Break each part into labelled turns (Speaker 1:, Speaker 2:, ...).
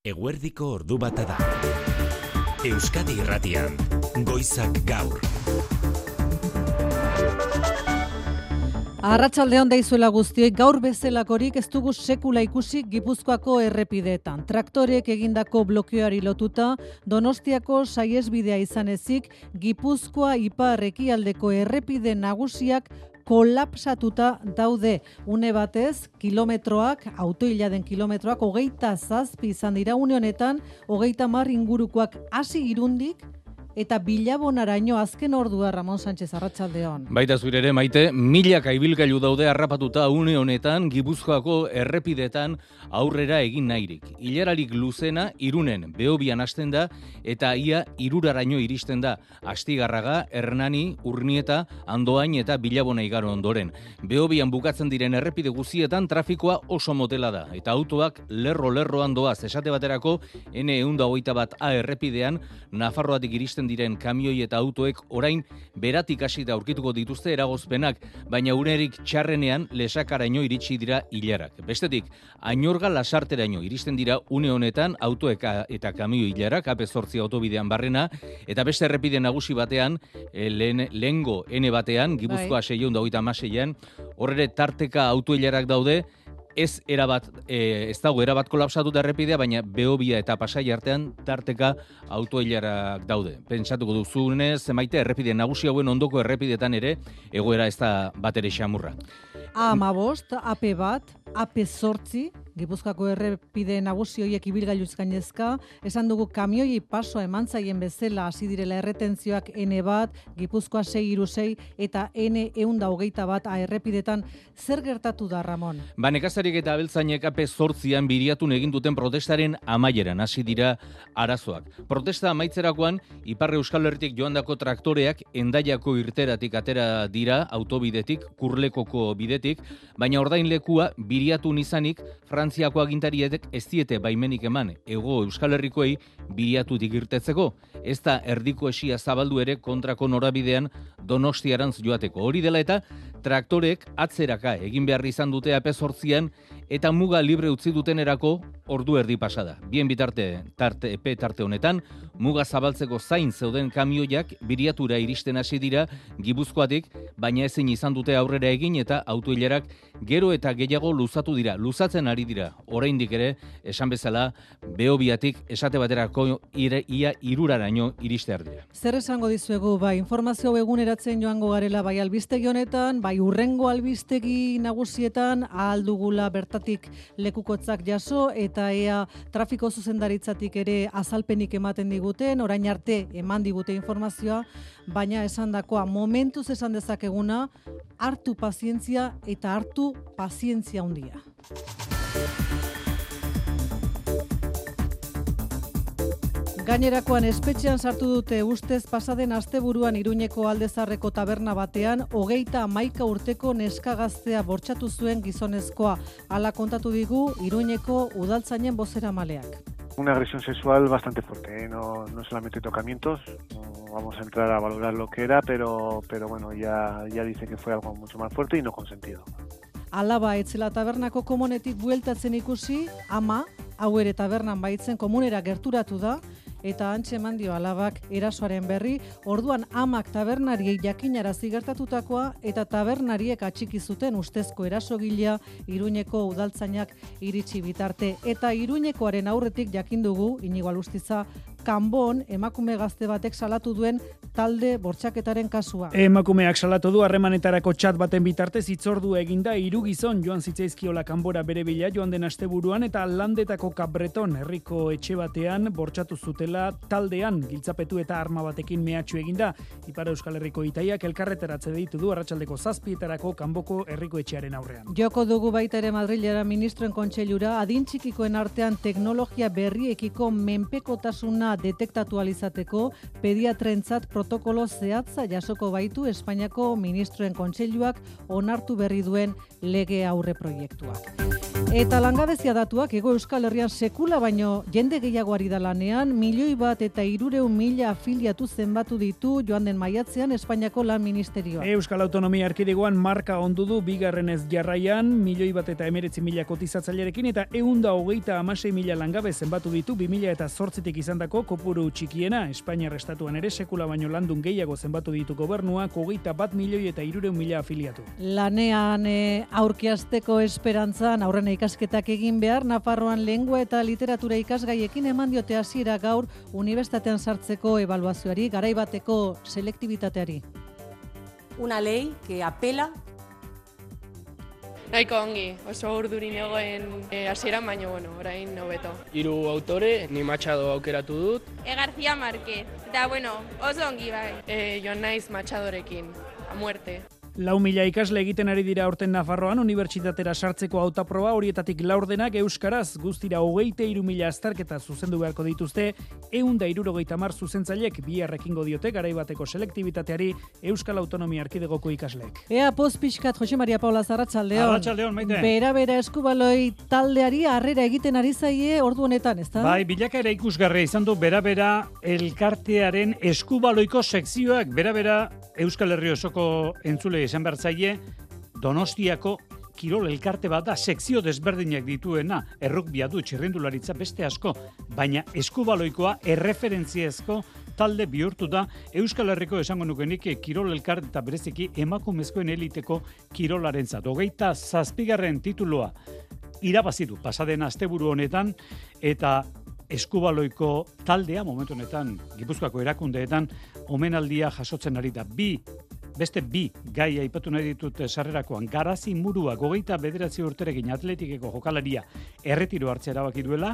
Speaker 1: Eguerdiko ordu bata da. Euskadi Irratian, Goizak Gaur.
Speaker 2: Arratsaldeon daizuela guztioi, gaur bezalakorik ez dugu sekula ikusi Gipuzkoako errepideetan. Traktorek egindako blokeoari lotuta, Donostiako saihesbidea izan ezik, Gipuzkoa ipar ekialdeko errepide nagusiak kolapsatuta daude. Une batez, kilometroak, autoiladen kilometroak, 27 izan dira une honetan, 30 ingurukoak hasi Irundik, eta Bilabonaraino azken ordua. Ramon Sánchez, arratsaldeon.
Speaker 3: Baita zure ere, Maite, milaka ibilgailu daude harrapatuta une honetan Gipuzkoako errepidetan aurrera egin nahirik. Ilararik luzena Irunen Behobian hasten da eta ia Iruraraino iristen da. Astigarraga, Hernani, Urnieta, Andoain eta Bilabona igaro ondoren. Behobian bukatzen diren errepide guztietan trafikoa oso motela da eta autoak lerro-lerroan doaz. Esate baterako N121A errepidean Nafarroatik iristen diren kamioi eta autoek orain beratik hasita aurkituko dituzte eragozpenak, baina unerik txarrenean Lesakaraino iritsi dira ilarak. Bestetik, Añorga Lasarteraino iristen dira une honetan autoek eta kamioi ilarak, AP8 autobidean barrena, eta beste errepide nagusi batean, lehengo N batean, Gipuzkoa 626an, horre tarteka autoilarak daude. Ez dago erabat kolapsatuta errepidea, baina Behobia eta Pasai artean tarteka autoilarak daude. Pentsatuko duzunez, Maite, errepide nagusi hauen ondoko errepidetan ere egoera ez da batere xamurra.
Speaker 2: A15, AP1, AP8, Gipuzkoako errepide nagusi horiek ibilgailuz gainezka, esan dugu kamioi pasoa eman zaien bezala hasi direla erretentzioak N1, Gipuzkoa 636 eta N121 errepidetan. Zer gertatu da, Ramon?
Speaker 3: Nekazarik eta abeltzainek AP8an biriatun egin duten protestaren amaieran hasi dira arazoak. Protesta amaitzerakoan, Ipar Euskal Herritik joandako traktoreak Hendaiako irteratik atera dira autobidetik, Kurlekoko bidetik, baina ordainlekua biriatun izanik Frantziako agintariek ez diete baimenik eman Hego Euskal Herrikoei biriatutik irtetzeko. Ez da erdiko esia zabaldu ere kontrako norabidean Donostiarantz joateko. Hori dela eta traktorek atzeraka egin behar izan dute AP8an eta muga libre utzi dutenerako ordu erdi pasada. Bien bitarte tarte honetan, muga zabaltzeko zain zeuden kamioiak biriatura iristen hasi dira Gipuzkoatik, baina ezin izan dute aurrera egin eta autoilarak gero eta gehiago luzatu dira. Luzatzen ari dira, oraindik ere, esan bezala, Behobiatik esate baterako ia Iruraraino iristear dira.
Speaker 2: Zer esango dizuegu, informazio eguneratzen joango garela, albistegi honetan, urrengo albistegi nagusietan, ahal dugula bertatik lekukotzak jaso, eta ea trafiko zuzendaritzatik ere azalpenik ematen diguten, orain arte eman digute informazioa, baina esandakoa momentuz esan dezakeguna, hartu pazientzia eta hartu pazientzia handia. Gainerakoan espetxean sartu dute ustez pasaden asteburuan Iruñeko Aldezarreko taberna batean 31 urteko neska gaztea bortxatu zuen gizonezkoa. Hala kontatu digu Iruñeko udaltzainen bozeramaleak.
Speaker 4: Una agresión sexual bastante fuerte, no solamente tocamientos, no vamos a entrar a valorar lo que era, pero bueno, ya dice que fue algo mucho más fuerte y no consentido.
Speaker 2: Alaba etzela tabernako komunetik bueltatzen ikusi, ama, hau ere tabernan baitzen komunera gerturatu da, eta antxe eman dio alabak erasoaren berri, orduan amak tabernariei jakinarazi gertatutakoa eta tabernariek atxiki zuten ustezko erasogilea Iruñeko udaltzainak iritsi bitarte. Eta Iruñekoaren aurretik jakin dugu, Inigo Alustiza, Kanbon emakume gazte batek salatu duen talde bortxaketaren kasua.
Speaker 5: Emakumeak salatu du harremanetarako txat baten bitartez hitzordu eginda 3 gizon joan zitzaizkiola Kanbora bere bila joan den asteburuan eta Landetako Kabreton herriko etxe batean bortxatu zutela taldean giltzapetu eta arma batekin mehatxu eginda. Ipar Euskal Herriko itaiak elkarretaratze deitu du arratsaldeko 7etarako Kanboko herriko etxearen aurrean.
Speaker 2: Joko dugu baita ere Madrilera ministroen kontseilura adin txikikoen artean teknologia berriekiko menpekotasuna detektatu alizateko pediatrentzat protokolo zehatza jasoko baitu Espainiako ministroen kontseiluak onartu berri duen lege aurre proiektuak. Eta langabezia datuak Hego Euskal Herrian sekula baino jende gehiago ari da lanean, 1.300.000 afiliatu zenbatu ditu joan den maiatzean Espainiako Lan Ministerioa.
Speaker 5: Euskal Autonomia Erkidegoan marka ondu du bigarrenez jarraian, 1.119.000 kotizatzailerekin eta 126.000 langabe zenbatu ditu 2008tik izandako kopuru txikiena. Espainiar estatuan ere sekula baino landun gehiago zenbatu ditu gobernuak 21.300.000 afiliatu.
Speaker 2: Lanean aurkiasteko esperantzan aurrena ikasketak egin behar, Nafarroan lengua eta literatura ikasgaiekin eman diote hasiera gaur unibertsitatean sartzeko ebaluazioari, garaibateko selektibitateari.
Speaker 6: Una ley que apela.
Speaker 7: Nahiko ongi, oso urdurin egoen hasieran, baina orain hobeto.
Speaker 8: 3 autore, ni Machado aukeratu dut.
Speaker 7: García Márquez, eta oso ongi bai. Joan naiz Machadorekin, a muerte.
Speaker 5: 4.000 ikasle egiten ari dira aurten Nafarroan unibertsitatera sartzeko hautaproba, horietatik laurdenak euskaraz, guztira 23.000 azterketa zuzendu beharko dituzte, 170 zuzentzailek bihar ekingo diote garaibateko selektibitateari Euskal Autonomia Erkidegoko ikasleek.
Speaker 2: Ea poz pixkat, Jose Maria Paula Arratsaldeon.
Speaker 5: Arratsaldeon, Maite.
Speaker 2: Bera eskubaloi taldeari harrera egiten ari zaie ordu honetan, ezta?
Speaker 9: Bai, bilakaera ikusgarria izan du bera elkartearen eskubaloiko sekzioak, bera Euskal Herri osoko entzule izan bertzaile, Donostiako kirol elkarte bat da, sekzio desberdinak dituena, errugbia du, txirrindularitza beste asko, baina eskubaloikoa erreferentziazko talde bihurtu da Euskal Herriko esango nukenik kirol elkarte eta bereziki emakumezkoen eliteko kirolarentzat. 27. titulua irabazi du pasaden asteburu honetan, eta eskubaloiko taldea momentu honetan Gipuzkoako erakundeetan omenaldia jasotzen ari da. Beste bi gai aipatu nahi ditut sarrerakoan. Garazi Murua 29 urterekin Atletikeko jokalaria erretiro hartzea erabaki duela,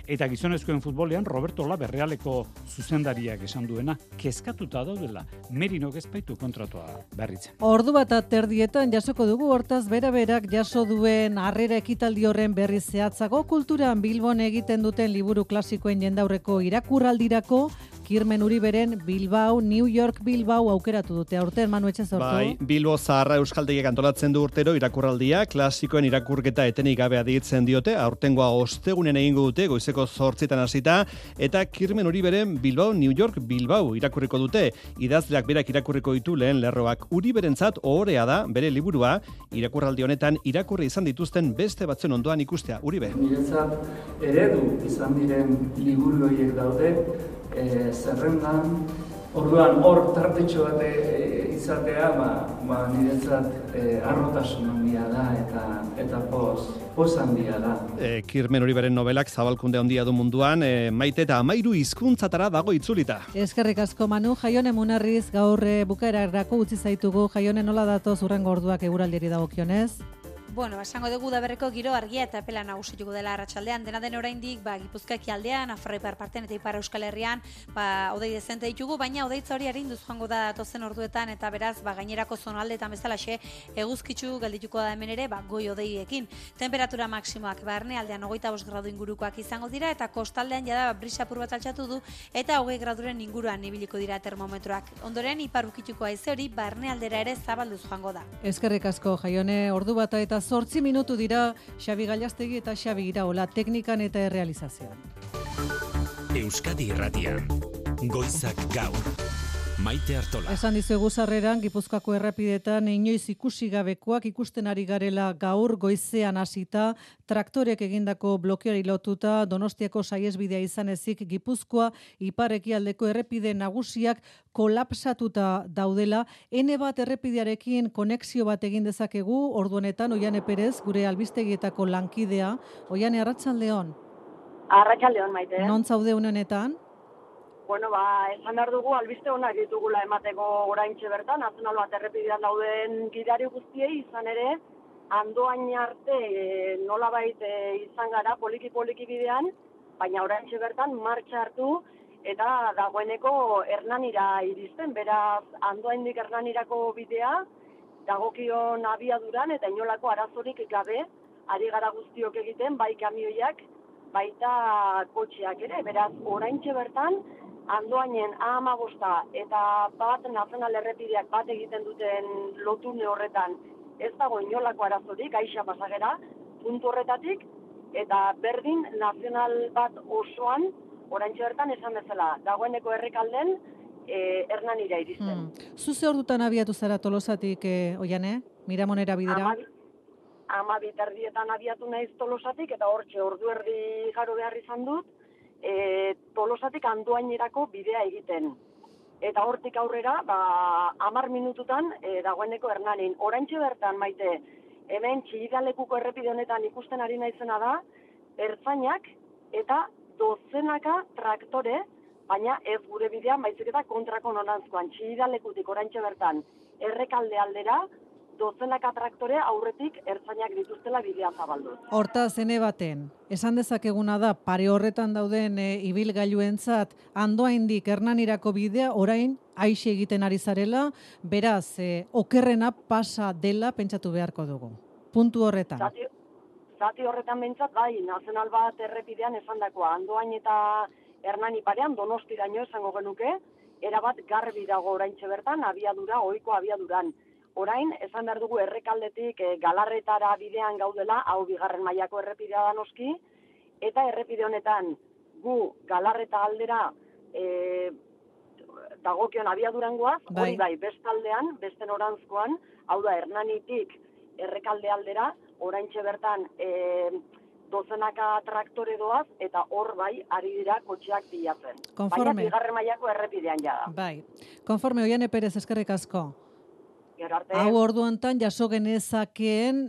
Speaker 9: eta gizonezkoen futbolean Roberto Labe Realeko zuzendariak esan duena kezkatuta daudela, Merinok ez baitu kontratua berritzen.
Speaker 2: Ordu bat aterdietan jasoko dugu, hortaz berak jaso duen harrera ekitaldi horren berri zehatzago. Kulturan Bilbon egiten duten liburu klasikoen jendaurreko irakurraldirako Kirmen Uriberen Bilbao, New York Bilbao aukeratu dute aurten, Manu Etxezortu.
Speaker 10: Bai, Bilbo Zaharra Euskaltegiak antolatzen du urtero irakurraldia, klasikoen irakurketa etenik gabe aditzen diote, aurtengoa ostegunen egingo dute, goizeko 8 hasita, eta Kirmen Uriberen Bilbao, New York Bilbao irakurriko dute. Idazleak berak irakurriko ditu lehen lerroak. Uriberentzat ohorea da bere liburua, irakurraldi honetan irakurri izan dituzten beste batzen ondoan ikustea. Uribe.
Speaker 11: Niretzat eredu izan diren liburu horiek daude, zerrendan, orduan hor tartetxo bat izatea, niretzat arrotasun handia da eta poz handia da.
Speaker 10: Kirmen Uriberen nobelak zabalkunde handia du munduan, Maite, eta 13 hizkuntzatara dago itzulita.
Speaker 2: Eskerrik asko, Manu. Jaione Munarriz gaur bukaerarako utzi zaitugu. Jaione, nola datoz hurrengo orduak eguraldiari dagokionez?
Speaker 12: Bueno, esango dugu Udaberriko giro argia eta epela nagusituko dela arratsaldean. Dena den oraindik, Gipuzkoak aldean, Nafarroa ipar partean eta Ipar Euskal Herrian, hodei dezente ditugu, baina hodeitza hori arinduz joango da datozen orduetan, eta beraz, gainerako zonaldeetan bezalaxe eguzkitsu geldituko da hemen ere, goi hodeiekin. Temperatura maksimoak barnealdean 25 gradu ingurukoak izango dira, eta kostaldean jada brisa apur bat altxatu du, eta 20 graduren inguruan ibiliko dira termometroak. Ondoren, ipar ukituko haize hori barnealdera ere zabalduz joango da.
Speaker 2: Eskerrik asko, Jaione, ordu bata eta 8 minutu dira Xabi Gallastegi eta Xabi Iraola teknikan eta errealizazioan.
Speaker 1: Euskadi Irratian, Goizak Gaur. Maite Artola.
Speaker 2: Esan dizuegu sarreran, Gipuzkoako errepidetan inoiz ikusi gabekoak ikusten ari garela gaur goizean hasita, traktorek egindako blokeari lotuta, Donostiako saihesbidea izan ezik Gipuzkoa ipar-ekialdeko errepide nagusiak kolapsatuta daudela. N1 errepidearekin konexio bat egin dezakegu, ordu honetan Oiane Perez, gure albistegietako lankidea. Oiane, arratsaldeon.
Speaker 13: Arratsaldeon, Maite.
Speaker 2: Non zaude une honetan?
Speaker 13: Bueno, esan behar dugu albiste honak ditugula emateko oraintxe bertan, nazional bat errepidean dauden gidari guztiei, izan ere, Andoain arte nolabait izan gara poliki bidean, baina oraintxe bertan martxa hartu eta dagoeneko Hernanira iristen, beraz Andoaindik Hernanirako bidea dagokion abiaduran eta inolako arazorik gabe ari gara guztiok egiten, bai kamioiak, baita kotxeak ere, beraz oraintxe bertan Andoainen A15 eta bat nazional errepideak bat egiten duten lotune horretan ez dago inolako arazorik, aixa pasagera, puntu horretatik, eta berdin nazional bat osoan, oraintxe bertan esan bezala, dagoeneko errekalden, Hernanira iristen.
Speaker 2: Zu ze ordutan abiatu zara Tolosatik, Oiane? Miramonera bidera?
Speaker 13: 12:30 abiatu naiz Tolosatik, eta hortxe ordu erdi igaro behar izan dut, Tolosatik Andoainerako bidea egiten. Eta hortik aurrera, 10 minututan dagoeneko Hernanin. Oraintxe bertan, Maite, hemen Txillidalekuko errepide honetan ikusten ari naizena da, ertzainak eta dozenaka traktore, baina ez gure bidean, baizik eta kontrako nonantzkoan. Txillidalekutik oraintxe bertan errekalde aldera, dozenaka traktore aurretik ertzainak dituztela bidea zabalduz.
Speaker 2: Hortaz, ene baten, esan dezakeguna da, pare horretan dauden ibilgailuentzat Andoaindik Hernanirako bidea orain aixe egiten ari zarela, beraz, okerrena pasa dela pentsatu beharko dugu. Puntu horretan.
Speaker 13: Zati horretan behintzat, bai, nazional bat errepidean esandakoa, Andoain eta Hernani parean, Donostiraino esango genuke, erabat garbi dago oraintxe bertan, abiadura, ohiko abiaduran. Orain, esan behar dugu errekaldetik Galarretara bidean gaudela, hau bigarren mailako errepidea da noski, eta errepide honetan gu Galarreta aldera dagokion abiadurangoaz, hori bai, bestaldean, beste norantzkoan, hau da Hernanitik errekalde aldera, oraintxe bertan dozenaka traktore doaz, eta hor bai, ari dira kotxeak bilatzen.
Speaker 2: Konforme.
Speaker 13: Baina bigarren mailako errepidean jada.
Speaker 2: Bai. Konforme, Oiane Perez, eskerrik asko.
Speaker 13: Arte.
Speaker 2: Hau ordu hontan jaso genezakeen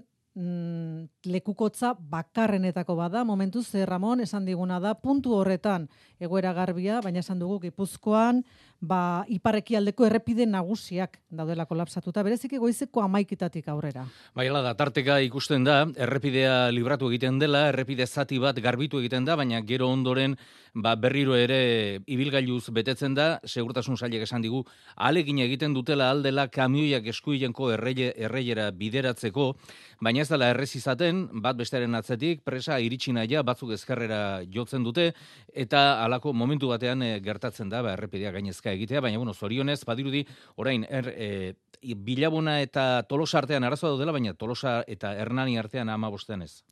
Speaker 2: lekukotza bakarrenetako bada, momentuz, Ramon, esan diguna da, puntu horretan egoera garbia, baina esan dugu Gipuzkoan, iparekialdeko errepide nagusiak daudela kolapsatuta, bereziki goizeko 11:00 aurrera.
Speaker 3: Bai, hala da, tarteka ikusten da, errepidea libratu egiten dela, errepide zati bat garbitu egiten da, baina gero ondoren berriro ere ibilgailuz betetzen da, segurtasun sailek esan digu, ahalegin egiten dutela aldela kamioiak eskuilenko erreiera bideratzeko, baina ez dela errez izaten, bat bestearen atzetik, presa iritsi naia batzuk ezkerrera jotzen dute, eta halako momentu batean gertatzen da, errepidea gainezka egitea, baina zorionez, badirudi, orain, Bilabona eta Tolosa artean arazoa dela, baina Tolosa eta Hernani artean 15 ez.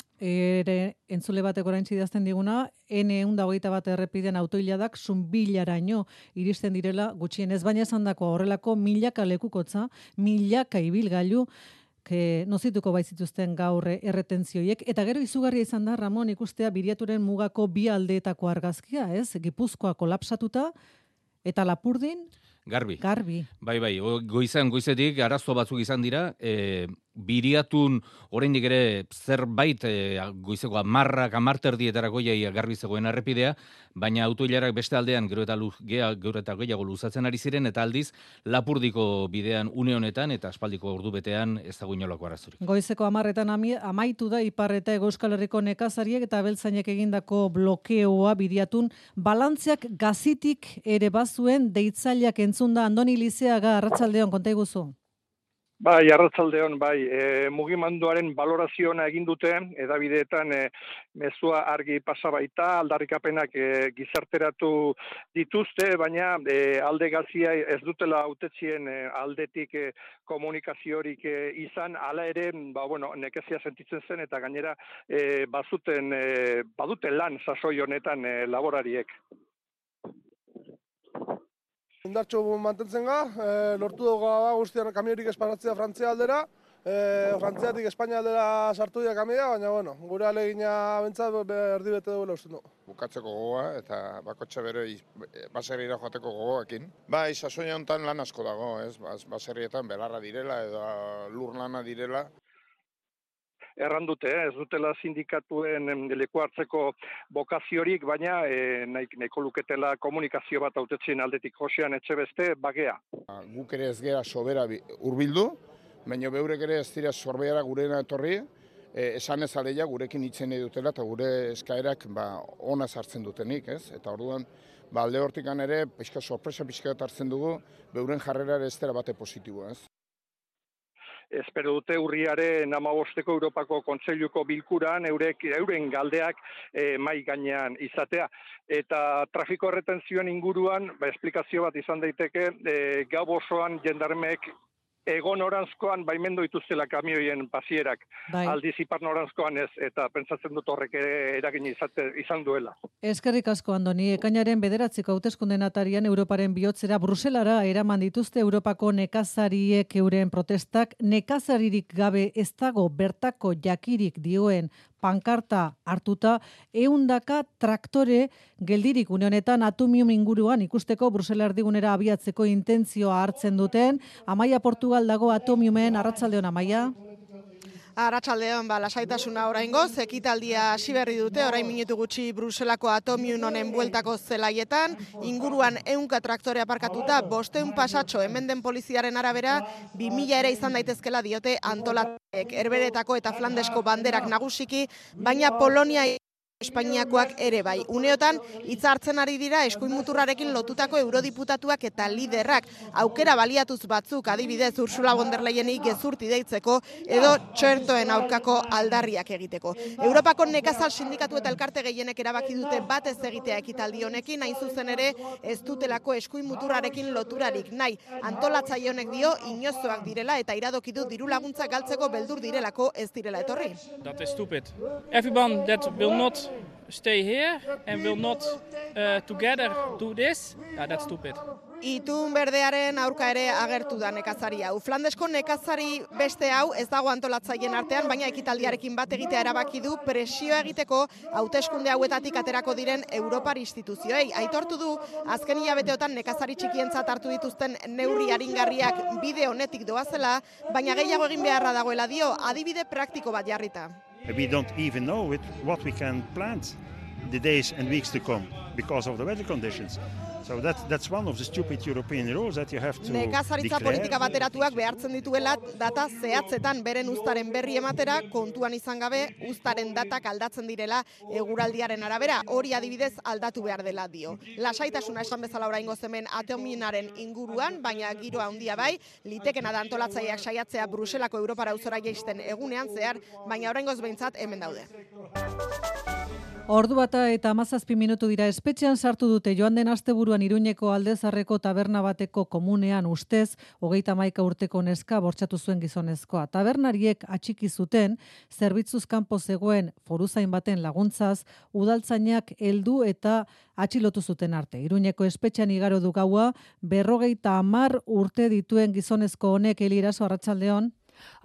Speaker 2: Entzule batek orain idazten diguna, N121 errepidean autoiladak Zunbilaraino iristen direla gutxienez, baina esan dako horrelako milaka lekukotza, milaka ibilgailu, nozituko baizituzten gaur erretentzioiek, eta gero izugarria izan da, Ramon, ikustea Biriaturen mugako bi aldeetako argazkia, ez? Gipuzkoa kolapsatuta, eta Lapurdin
Speaker 3: Garbi.
Speaker 2: Bai,
Speaker 3: goizetik arazo batzuk izan dira, Biriatun oraindik ere zerbait goizeko 10:00 jaia garbi zegoen errepidea, baina autoilarak beste aldean gero eta gehiago luzatzen ari ziren, eta aldiz Lapurdiko bidean une honetan eta aspaldiko ordu betean ez dago inolako arazorik.
Speaker 2: Goizeko 10:00 amaitu da Ipar eta Hego Euskal Herriko nekazariek eta abeltzainek egindako blokeoa Biriatun, balantzeak gazitik ere bazuen deitzaileak entzunda. Andoni Lizeaga, arratsaldeon, konta iguzu.
Speaker 14: Bai, arratsaldeon, mugimenduaren balorazioa egin dute, edabideetan mezua argi pasa baita, aldarrikapenak gizarteratu dituzte, baina alde gazia ez dutela hautetzien aldetik komunikaziorik izan, hala ere, nekezia sentitzen zen, eta gainera baduten lan sasoi honetan laborariek.
Speaker 15: Indartxo mantentzen lortu dugu guztian kamiorik espanatzea Frantzia aldera, Frantziatik Espainia aldera sartu dira kamioa, baina gure alegina bentsat erdi bete dugu usten du.
Speaker 16: Bukatzeko gogoa eta bakotxe bere baserriera joateko gogoekin. Bai, sasoia honetan lan asko dago, baserrietan belarra direla edo lur lana direla.
Speaker 14: Erran dute, ez dutela sindikatuen leku hartzeko bokaziorik, baina nahiko luketela komunikazio bat hautetzien aldetik. Josean Etxebeste, bagea.
Speaker 16: Guk ere ez gera sobera hurbildu, baina beurek ere ez dira sorbeara gurena etorri, esan ez aleia gurekin hitzen nahi dutela eta gure eskaerak ona sartzen dutenik, ez? Eta orduan, alde hortikan ere, sorpresa pixka hartzen dugu, beuren jarrera ez dela bate positiboa, ez?
Speaker 14: Espero dute urriaren 15 Europako Kontseiluko bilkuran euren galdeak mai gainean izatea. Eta trafiko erretentzioen inguruan, esplikazio bat izan daiteke, gau osoan jendarmeek egon noranzkoan baimendu dituztela kamioien pasierak, aldiz ipar noranzkoan ez, eta pentsatzen dut horrek eragin izan duela.
Speaker 2: Eskerrik asko, Andoni. Ekainaren 9 hauteskundeen atarian Europaren bihotzera Bruselara eraman dituzte Europako nekazariek euren protestak. Nekazaririk gabe ez dago bertako jakirik dioen pankarta hartuta, 100 traktore geldirik une honetan Atomium inguruan ikusteko Brusela erdigunera abiatzeko intentzioa hartzen duten. Amaia Portugal dago Atomiumen. Arratsaldeon, Amaia.
Speaker 17: Arratsaldeon, lasaitasuna oraingoz, ekitaldia hasi berri dute, orain minutu gutxi Bruselako Atomium honen bueltako zelaietan, inguruan 100 traktore aparkatuta, 500 pasatxo hemen den poliziaren arabera, 2000 ere izan daitezkela diote antolatek, Herberetako eta Flandesko banderak nagusiki, baina Polonia Espainiakoak ere bai. Uneotan, hitza hartzen ari dira eskuin muturrarekin lotutako eurodiputatuak eta liderrak. Aukera baliatuz batzuk, adibidez Ursula von der Leyeni gezurti deitzeko edo txertoen aurkako aldarriak egiteko. Europako nekazal sindikatu eta elkarte gehienek erabaki dute bat ez egitea ekitaldi honekin, hain zuzen ere ez dutelako eskuin muturrarekin loturarik nahi. Antolatzaile honek dio inozoak direla eta iradoki du diru laguntza galtzeko beldur direlako ez direla etorri.
Speaker 8: That is stupid. Everyone that will not stay here and will not together do this, that's stupid.
Speaker 17: Itun berdearen aurka ere agertu da nekazari hau. Flandesko nekazari beste hau ez dago antolatzaileen artean, baina ekitaldiarekin bat egitea erabaki du presioa egiteko hauteskunde hauetatik aterako diren Europar instituzioei. Aitortu du azken hilabeteotan nekazari txikientzat hartu dituzten neurri aringarriak bide honetik doazela, baina gehiago egin beharra dagoela dio, adibide praktiko bat jarrita.
Speaker 18: We don't even know what we can plant the days and weeks to come because of the weather conditions. So that's one of the stupid European rules that you have to
Speaker 17: Nekazaritza politika bateratuak behartzen dituela data zehatzetan beren uztaren berri ematera, kontuan izan gabe uztaren datak aldatzen direla eguraldiaren arabera, hori adibidez aldatu behar dela dio. Lasaitasuna esan bezala oraingoz hemen Atomiumaren inguruan, baina giroa handia bai, litekena da antolatzaileak saiatzea Bruselako Europara auzora jaisten egunean zehar, baina oraingoz behintzat hemen daude.
Speaker 2: Ordu bata eta 17 minutu dira, espetxean sartu dute joan den asteburuan Iruñeko Aldezarreko taberna bateko komunean ustez 31 urteko neska bortxatu zuen gizonezkoa. Tabernariek atxiki zuten zerbitzuz kanpo zegoen foruzain baten laguntzaz udaltzainak heldu eta atxilotu zuten arte. Iruñeko espetxean igaro du gaua 50 urte dituen gizonezko honek. Eli Eraso, arratsaldeon.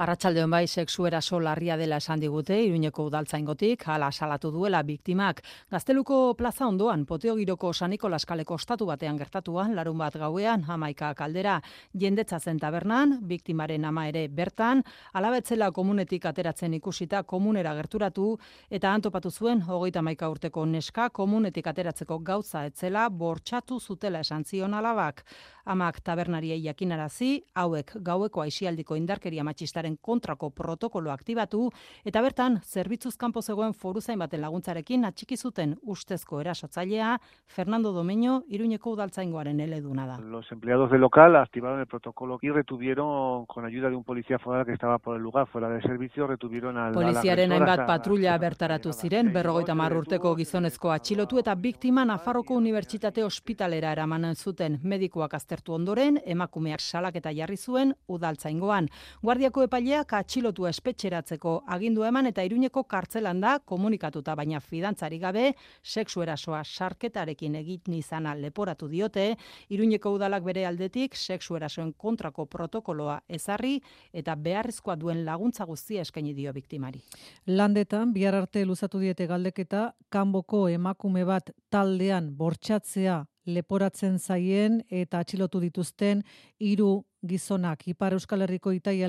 Speaker 19: Arratsaldeon bai, sexu eraso larria dela esan digute Iruñeko udaltzaingotik, hala salatu duela biktimak. Gazteluko plaza ondoan, Poteo Giroko San Nikolas kaleko ostatu batean gertatuan, larunbat gauean, 11 kaldera, jendetza zen tabernan, biktimaren ama ere bertan, alabetzela komunetik ateratzen ikusita komunera gerturatu, eta antopatu zuen 31 urteko neska komunetik ateratzeko gauza etzela bortxatu zutela esan zion alabak. Amak tabernariei jakinarazi, hauek gaueko aisialdiko indarkeria matxistaren kontrako protokolo aktibatu, eta bertan, zerbitzuz kanpo zegoen foruzain baten laguntzarekin atxiki zuten ustezko erasotzailea, Fernando Domeño, Iruñeko udaltzaingoaren eleduna da.
Speaker 4: Los empleados del local activaron el protocolo y retuvieron, con ayuda de un policía foral que estaba por el lugar, fuera de servicio, retuvieron al
Speaker 19: Poliziaren hainbat patrulla bertaratu ziren, 50 urteko gizonezko atxilotu eta biktima Nafarroko Unibertsitate Ospitalera eraman zuten. Medikuak aztertu ondoren, emakumeak salaketa jarri zuen udaltzaingoan. Guardiako epaileak atxilotua espetxeratzeko agindua eman eta Iruñeko kartzelan da komunikatuta, baina fidantzari gabe sexu erasoa sarketarekin egin izana leporatu diote. Iruñeko udalak bere aldetik sexu erasoen kontrako protokoloa ezarri eta beharrezkoa duen laguntza guztia eskaini dio biktimari.
Speaker 2: Landetan bihar arte luzatu diete galdeketa, kanboko emakume bat taldean bortxatzea leporatzen zaien eta atxilotu dituzten 3 gizonak. Ipar Euskal Herriko Itai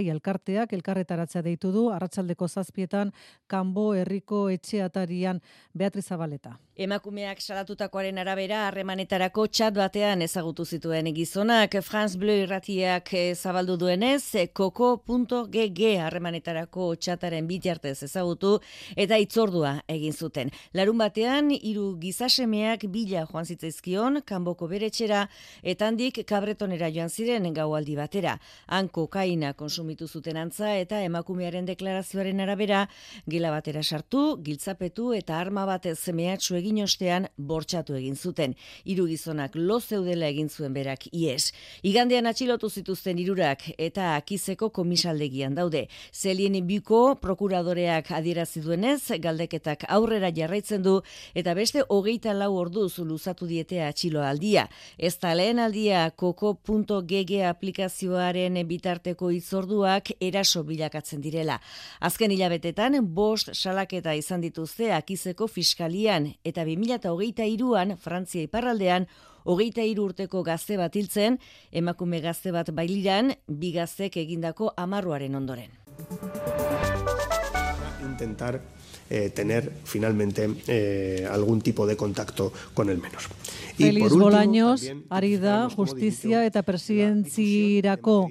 Speaker 2: elkarteak elkarretaratzea deitu du, arratsaldeko 7etan Kanbo herriko etxeatarian. Beatriz Zabaleta.
Speaker 20: Emakumeak salatutakoaren arabera harremanetarako txat batean ezagutu zituen gizonak. France Bleu irratiak zabaldu duenez, koko.gg harremanetarako txataren bitartez ezagutu eta hitzordua egin zuten. Larun batean 3 hiru gizasemeak bila joan zitzaizkion kanboko beretxera eta handik Kabretonera joan ziren gaualdi batera. Han kokaina konsumitu zuten antza eta emakumearen deklarazioaren arabera gela batera sartu, giltzapetu eta arma bat mehatxu egin ostean bortxatu egin zuten. Hiru gizonak lo zeudela egin zuen berak ies. Igandean atxilotu zituzten hirurak eta Akizeko komisaldegian daude. Zelien Biko prokuradoreak adierazi duenez, galdeketak aurrera jarraitzen du eta beste 24 orduz luzatu diete atxiloaldia. Ez da lehen aldia koko.gg aplikazioaren bitarteko hitzorduak eraso bilakatzen direla. Azken hilabetetan 5 salaketa izan dituzte Akizeko fiskalian eta 2023an Frantzia iparraldean 23 urteko gazte bat hiltzen, emakume gazte bat bailiran, 2 gaztek egindako amarruaren ondoren.
Speaker 21: Intentar tener finalmente algún tipo de contacto con el menor.
Speaker 2: Feliz Bolaños, ari da justizia eta presidentzirako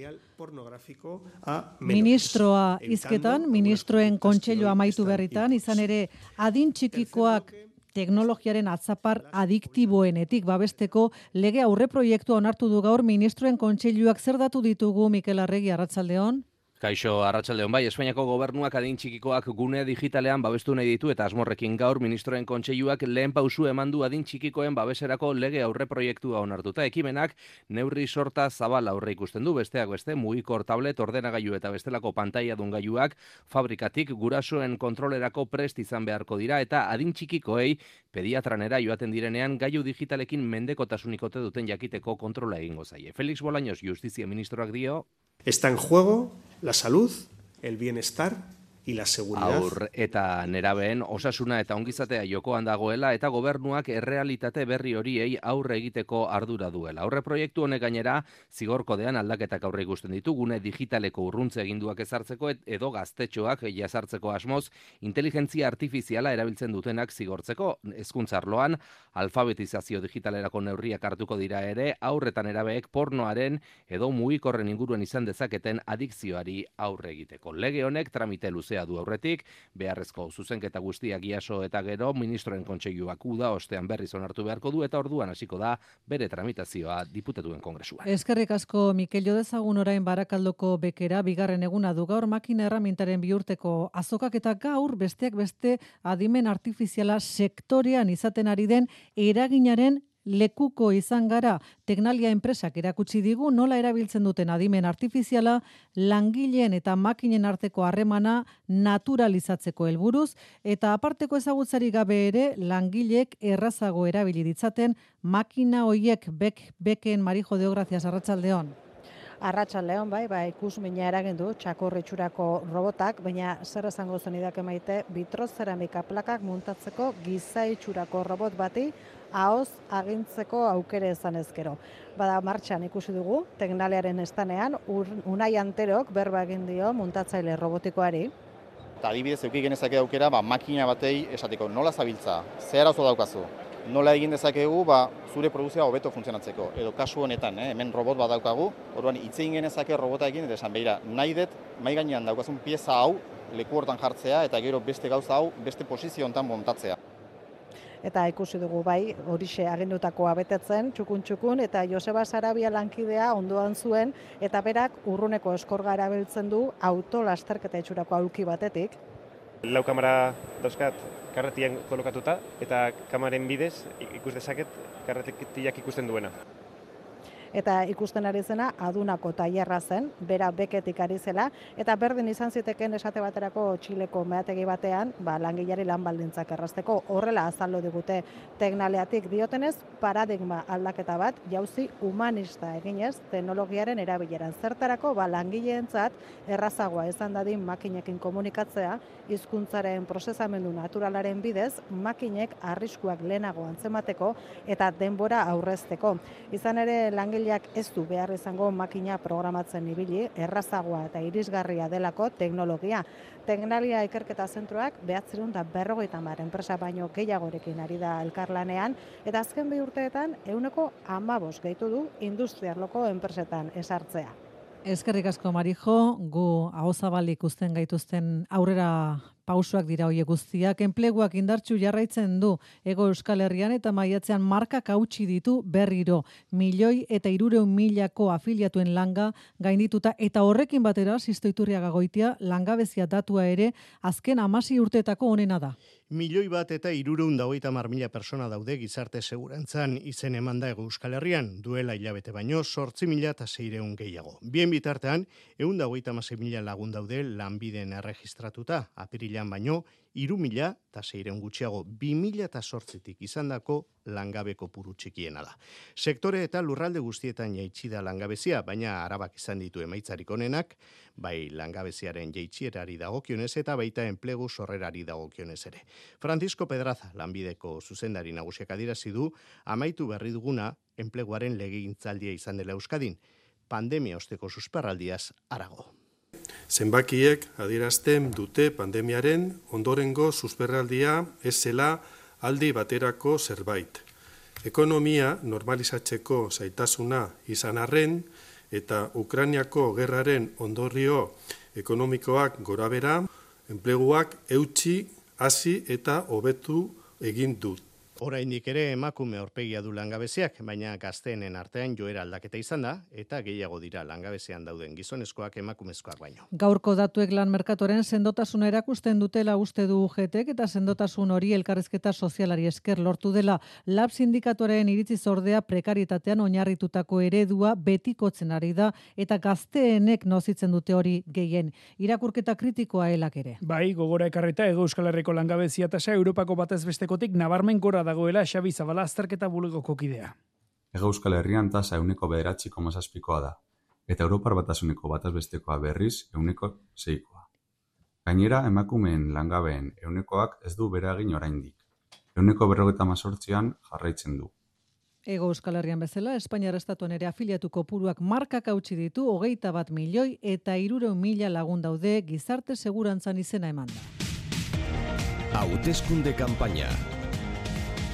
Speaker 2: ministroa hizketan, ministroen kontseilua amaitu berritan, izan ere adin txikikoak teknologiaren atzapar adiktiboenetik babesteko lege aurreproiektua onartu du gaur ministroen kontseiluak. Zer datu ditugu, Mikel Arregi, arratsaldeon?
Speaker 22: Kaixo, arratsaldeon bai, Espainiako gobernuak adin txikikoak gune digitalean babestu nahi ditu eta asmorrekin gaur ministroen kontseiluak lehen pausu eman du adin txikikoen babeserako lege aurreproiektua onartuta. Ekimenak neurri sorta zabal aurre ikusten du, besteak beste mugikor tablet, ordenagailu eta bestelako pantailadun gailuak fabrikatik gurasoen kontrolerako prest izan beharko dira eta adin txikikoei pediatranera joaten direnean gailu digitalekin mendekotasun ikote duten jakiteko kontrola egingo zaie. Felix Bolaños, Justizia ministroak dio:
Speaker 21: Está en juego la salud, el bienestar y la seguridad.
Speaker 22: Aur eta nerabeen osasuna eta ongizatea jokoan dagoela eta gobernuak errealitate berri horiei aurre egiteko ardura duela. Aurre proiektu honek gainera zigorkodean aldaketak aurre ikusten ditu, gune digitaleko urruntze eginduak ezartzeko edo gaztetxoak jazartzeko asmoz inteligentzia artifiziala erabiltzen dutenak zigortzeko. Hezkuntza arloan alfabetizazio digitalerako neurriak hartuko dira ere, aur eta nerabeek pornoaren edo mugikorren inguruan izan dezaketen adikzioari aurre egiteko. Lege honek tramite luze du aurretik, beharrezko zuzenketa guztiak jaso eta gero ministroen kontseiluak uda ostean berriz onartu beharko du eta orduan hasiko da bere tramitazioa diputatuen kongresuan.
Speaker 2: Eskerrik asko, Mikel. Jo dezagun orain Barakaldoko bekera, bigarren eguna du gaur makina erramintaren bihurteko azokak eta gaur besteak beste adimen artifiziala sektorean izaten ari den eraginaren lekuko izan gara. Teknalia enpresak erakutsi digu nola erabiltzen duten adimen artifiziala langileen eta makinen arteko harremana naturalizatzeko helburuz eta aparteko ezagutzarik gabe ere langileek errazago erabili ditzaten makina hoiek beken. Marijo Deo, gracias, arratsaldeon.
Speaker 23: Arratsaldeon, bai, ikusmina eragin du txakorritxurako robotak, baina zer esango zenidake Maite, bitrozeramika plakak muntatzeko giza itxurako robot bati ahoz agintzeko aukere izan ezkero. Bada martxan ikusi dugu, teknaliaren estanean, Unai Anterok berba egin dio muntatzaile robotikoari.
Speaker 24: Eta adibidez, euki genezake aukera, makina batei esateko nola zabiltza, zer arazo daukazu, nola egin dezakegu zure produkzioa hobeto funtzionatzeko. Edo kasu honetan, hemen robot bat daukagu, orduan hitz egin genezake robotaekin, eta esan behira, nahi dut, mai gainean daukazun pieza hau, leku hortan jartzea, eta gero beste gauza hau, beste posizio hontan montatzea.
Speaker 23: Eta ikusi dugu horixe agindutakoa betetzen, txukun, eta Joseba Sarabia lankidea ondoan zuen, eta berak urruneko eskorga erabiltzen du autolasterketa itxurako aulki batetik.
Speaker 25: Lau kamera dauzkat karretian kolokatuta, eta kamaren bidez ikus dezaket karretiak ikusten duena.
Speaker 23: Eta ikusten ari zena adunako tailerra zen, bera beketik ari zela, eta berdin izan ziteken esate baterako Txileko meategi batean, langileari lan baldintzak errazteko. Horrela azaldu digute teknaliatik diotenez, paradigma aldaketa bat jauzi humanista eginez teknologiaren erabileran. Zertarako langileentzat errazagoa izan dadin makinekin komunikatzea, hizkuntzaren prozesamendu naturalaren bidez, makinek arriskuak lehenago antzemateko eta denbora aurrezteko. Izan ere langileak ez du behar izango makina programatzen ibili, errazagoa eta irisgarria delako teknologia. Teknalia ikerketa zentroak 950 enpresa baino gehiagorekin ari da elkarlanean, eta azken 2 urteetan 15% gehitu du industriarloko enpresetan esartzea.
Speaker 2: Eskerrik asko, Marijo, gu ahozabalik ikusten gaituzten aurrera Pausoak dira hoiek guztiak, enpleguak indartsu jarraitzen du Hego Euskal Herrian eta maiatzean markak hautsi ditu berriro. 1.300.000 afiliatuen langa gaindituta eta horrekin batera Sisto Iturriaga Goitia langabezia datua ere azken 16 urteetako onena da.
Speaker 5: 1.330.000 persona daude gizarte segurantzan izen emanda Hego Euskal Herrian, duela hilabete baino 8.600 gehiago. Bien bitartean, 126.000 lagun daude lanbiden erregistratuta, apirilan baino 3.600 gutxiago, 2008tik izandako langabeko puru txikiena da. Sektore eta lurralde guztietan jaitsi da langabezia, baina Arabak izan ditu emaitzarik onenak, bai langabeziaren jaitsierari dagokionez eta baita enplegu sorrerari dagokionez ere. Francisco Pedraza, lanbideko zuzendari nagusiak adierazi du, amaitu berri duguna enpleguaren legegintzaldia izan dela Euskadin, pandemia osteko susperraldiaz harago.
Speaker 6: Zenbakiek adierazten dute pandemiaren ondorengo susperraldia ez zela aldi baterako zerbait. Ekonomia normalizatzeko zaitasuna izan arren eta Ukrainiako gerraren ondorio ekonomikoak gorabera, enpleguak eutsi, hasi eta hobetu egin dut.
Speaker 5: Oraindik ere emakume aurpegia du langabeziak, baina gazteenen artean joera aldaketa izan da, eta gehiago dira langabezian dauden gizonezkoak emakumezkoak baino.
Speaker 2: Gaurko datuek lan merkatoren sendotasuna erakusten dutela uste du UGTek eta sendotasun hori elkarrizketa sozialari esker lortu dela. Lab sindikatuaren iritziz ordea prekaritatean oinarritutako eredua betikotzen ari da eta gazteenek nozitzen dute hori gehien. Irakurketa kritikoa helak ere.
Speaker 7: Bai, gogora ekarrita Hego Euskal Herriko langabezia tasa Europako batez bestekotik nabarmen gora dagoela Xabi Zabala azterketa bulegoko kidea.
Speaker 9: Hego Euskal Herrian tasa 9,7%koa da, eta Europar batasuneko bataz bestekoa berriz 6%. Gainera, emakumeen langabeen 100ak ez du bere egin oraindik. 158an jarraitzen du.
Speaker 2: Hego Euskal Herrian bezala, Espainiar estatuan ere afiliatu kopuruak markak hautsi ditu 21 milioi eta 300.000 lagun daude gizarte segurantzan izena emanda.
Speaker 1: Hauteskunde kanpaina.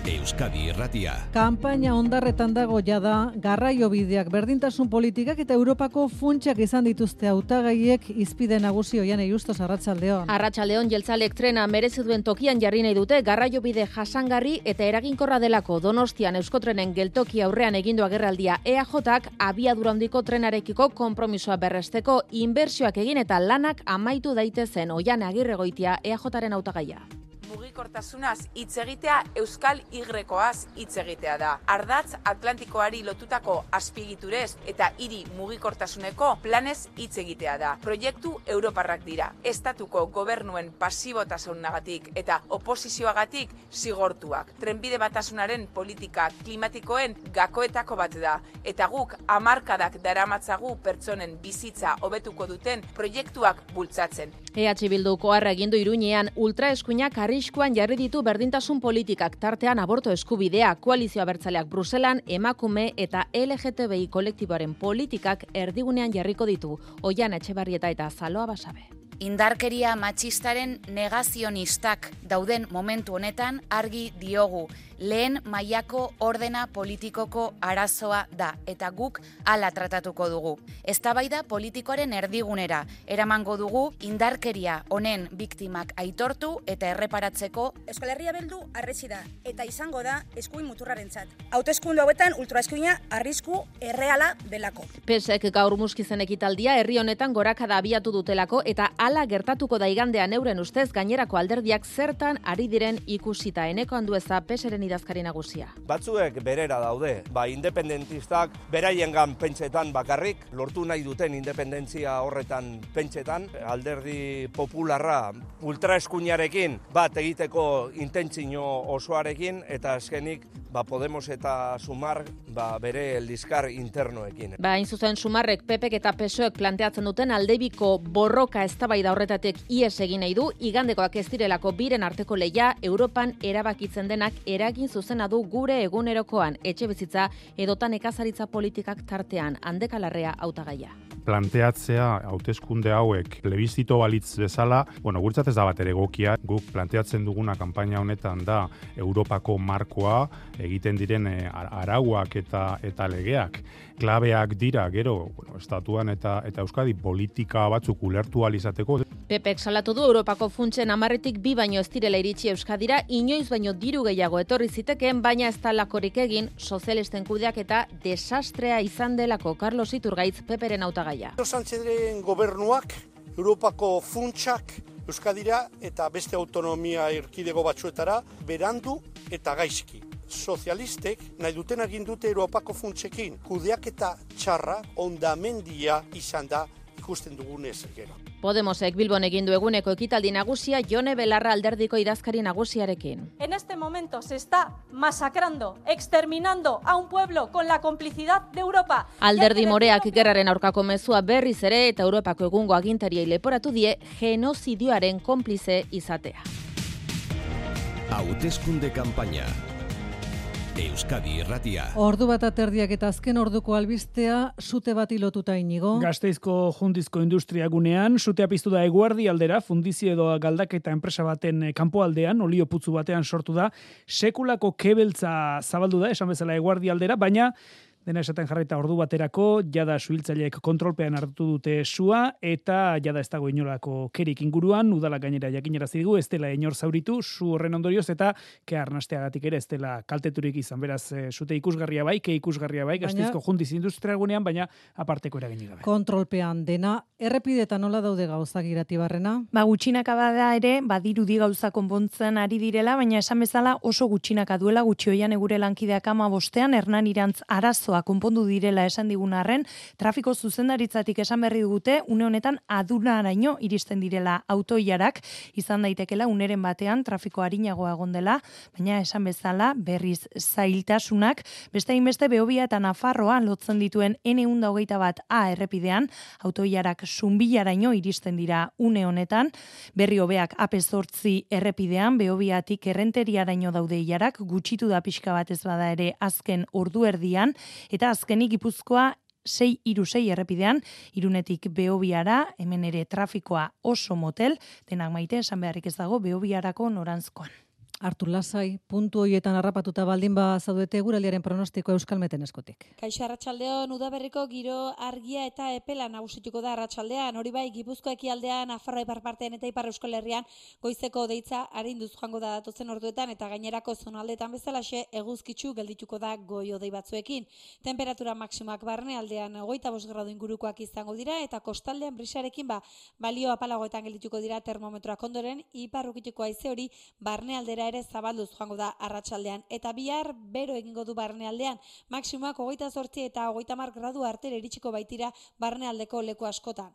Speaker 1: Euskadi Irratia.
Speaker 2: Kanpaina ondarretan dago jada, garraiobideak, berdintasun politikak eta Europako funtsak izan dituzte hautagaiek izpide nagusi Oiane Justos, arratsaldeon.
Speaker 11: Arratsaldeon, jeltzalek trena merezi duen tokian jarri nahi dute garraiobide jasangarri eta eraginkorra delako. Donostian Euskotrenen geltoki aurrean egindu agerraldia EAJak abiadura handiko trenarekiko konpromisoa berresteko inbertsioak egin eta lanak amaitu daitezen. Oiane Agirregoitia EAJaren hautagaia.
Speaker 26: Mugikortasunaz hitz egitea Euskal Y-koaz hitz egitea da. Ardatz Atlantikoari lotutako azpiegiturez eta hiri mugikortasuneko planez hitz egitea da. Proiektu europarrak dira. Estatuko gobernuen pasibotasunagatik eta oposizioagatik zigortuak. Trenbide batasunaren politika klimatikoen gakoetako bat da. Eta guk hamarkadak daramatzagu pertsonen bizitza hobetuko duten proiektuak bultzatzen.
Speaker 11: EH Bilduko arra egindu Iruñean ultraeskuinak arriskuan jarri ditu berdintasun politikak, tartean aborto eskubidea, koalizio abertzaleak Bruselan emakume eta LGTBI kolektiboaren politikak erdigunean jarriko ditu. Oiana Etxebarrieta eta Zaloa Basabe.
Speaker 27: Indarkeria matxistaren negazionistak dauden momentu honetan argi diogu. Lehen mailako ordena politikoko arazoa da eta guk hala tratatuko dugu. Eztabaida politikoaren erdigunera eramango dugu indarkeria honen biktimak aitortu eta erreparatzeko.
Speaker 28: Euskal Herria Bildu arretsi da eta izango da eskuin muturrarentzat. Hauteskunde hauetan ultraeskuina arrisku erreala delako.
Speaker 11: PSek gaur muskizen ekitaldia herri honetan gorakada abiatu dutelako eta hala gertatuko da igandean euren ustez gainerako alderdiak zertan ari diren ikusita. Eneko Andueza PSren idazkari nagusia.
Speaker 29: Batzuek berera daude, independentistak beraiengan pentsetan bakarrik, lortu nahi duten independentzia horretan pentsetan, alderdi popularra ultraeskuinarekin bat egiteko intentzio osoarekin, eta azkenik Podemos eta Sumar bere eldizkar internoekin.
Speaker 11: Hain zuzen Sumarrek, PPek eta PSOek planteatzen duten aldebiko borroka eztabaida horretatik ihes egin nahi du, igandekoak ez direlako biren arteko leia Europan erabakitzen denak eragin zuzena du gure egunerokoan, etxebizitza edotan nekazaritza politikak tartean. Handeka Larrea hautagaia.
Speaker 3: planteatzea hauteskunde hauek plebizito balitz bezala, guretzat ez da bat ere egokia. Guk planteatzen duguna kanpaina honetan da Europako markoa, egiten diren arauak eta legeak. Klabeak dira, gero, estatuan eta Euskadi politika batzuk ulertu ahal izateko.
Speaker 11: Pepek salatu du Europako funtsen 10tik 2 baino ez direla iritsi Euskadira, inoiz baino diru gehiago etorri zitekeen, baina ez talakorik egin sozialisten kudeak eta desastrea izan delako. Carlos Iturgaitz, Peperen hautagaia.
Speaker 8: Sánchezen gobernuak Europako funtsak Euskadira eta beste autonomia erkidego batzuetara berandu eta gaizki. Sozialistek nahi duten egin dute Europako funtsekin kudeaketa txarra hondamendia izan da ikusten dugunez gero.
Speaker 11: Podemosek Bilbon egin du eguneko ekitaldi nagusia Jone Belarra alderdiko idazkari nagusiarekin.
Speaker 10: En este momento se está masacrando, exterminando a un pueblo con la complicidad de Europa.
Speaker 11: Alderdi moreak gerraren aurkako mezua berriz ere eta Europako egungo agintariei leporatu die genozidioaren konplize izatea.
Speaker 1: Hauteskunde kanpaina. Euskadi Irratia.
Speaker 2: Ordu bat aterdiak eta azken orduko albistea sute bati lotuta Inigo.
Speaker 7: Gasteizko Jundizko industriagunean sutea piztu da Eguerdi aldera, fundizio edo galdaketa enpresa baten kanpoaldean, olio putzu batean sortu da, sekulako kebeltza zabaldu da, esan bezala Eguerdi aldera, baina dena esaten jarraita ordu baterako, jada suhiltzaileek kontrolpean hartu dute sua, eta jada ez dago inolako kerik inguruan, udala gainera jakinarazi digu, ez dela inor zauritu, su horren ondorioz, eta ke arnasteagatik ere ez dela kalteturik izan, beraz, sute ikusgarria bai, ke ikusgarria bai, Gasteizko Jundiz industriagunean, baina aparteko eraginik gabe.
Speaker 2: Kontrolpean dena, errepideta nola daude gauzak Iratibarrena?
Speaker 12: Gutxinaka bada ere, badirudi gauza konpontzen ari direla, baina esan bezala oso gutxinaka duela, gutxioian egure lankideak 15ean, Hernan Irantz arazo konpondu direla esan digun arren, trafiko zuzendaritzatik esan berri dugute, une honetan adunaraino iristen direla autoilarak, izan daitekela uneren batean trafiko arinagoa egon dela, baina esan bezala berriz zailtasunak, beste hainbeste Behobia eta Nafarroa lotzen dituen N121A errepidean, autoilarak Zunbilaraino iristen dira une honetan, berri hobeak AP8 errepidean, Behobiatik Errenteriaraino daude ilarak, gutxitu da pixka bat ez bada ere azken ordu erdian, eta azkenik Gipuzkoa 636 errepidean, Irunetik Behobiara, hemen ere trafikoa oso motel, denak maite esan beharrik ez dago Behobiarako norantzkoan.
Speaker 2: Hartu lasai, puntu hoietan harrapatuta baldin ba zaudete eguraldiaren pronostikoa Euskalmeten eskutik.
Speaker 10: Kaixo arratsaldeon, udaberriko giro argia eta epela nagusituko da arratsaldean. Hori bai, Gipuzkoa ekialdean, Nafarroa ipar partean eta Ipar Euskal Herrian goizeko deitza arinduz joango da datozen orduetan eta gainerako zonaldetan bezalaxe eguzkitsu geldituko da goi-hodei batzuekin. Temperatura maksimoak barnealdean 25 gradu ingurukoak izango dira eta kostaldean brisarekin balio apalagoetan geldituko dira termometroak ondoren, ipar ukituko haize hori barnealdera ere zabalduz joango da arratsaldean eta bihar bero egingo du barnealdean, maksimoak 28 eta 30 gradu artera iritsiko baitira barnealdeko leku askotan.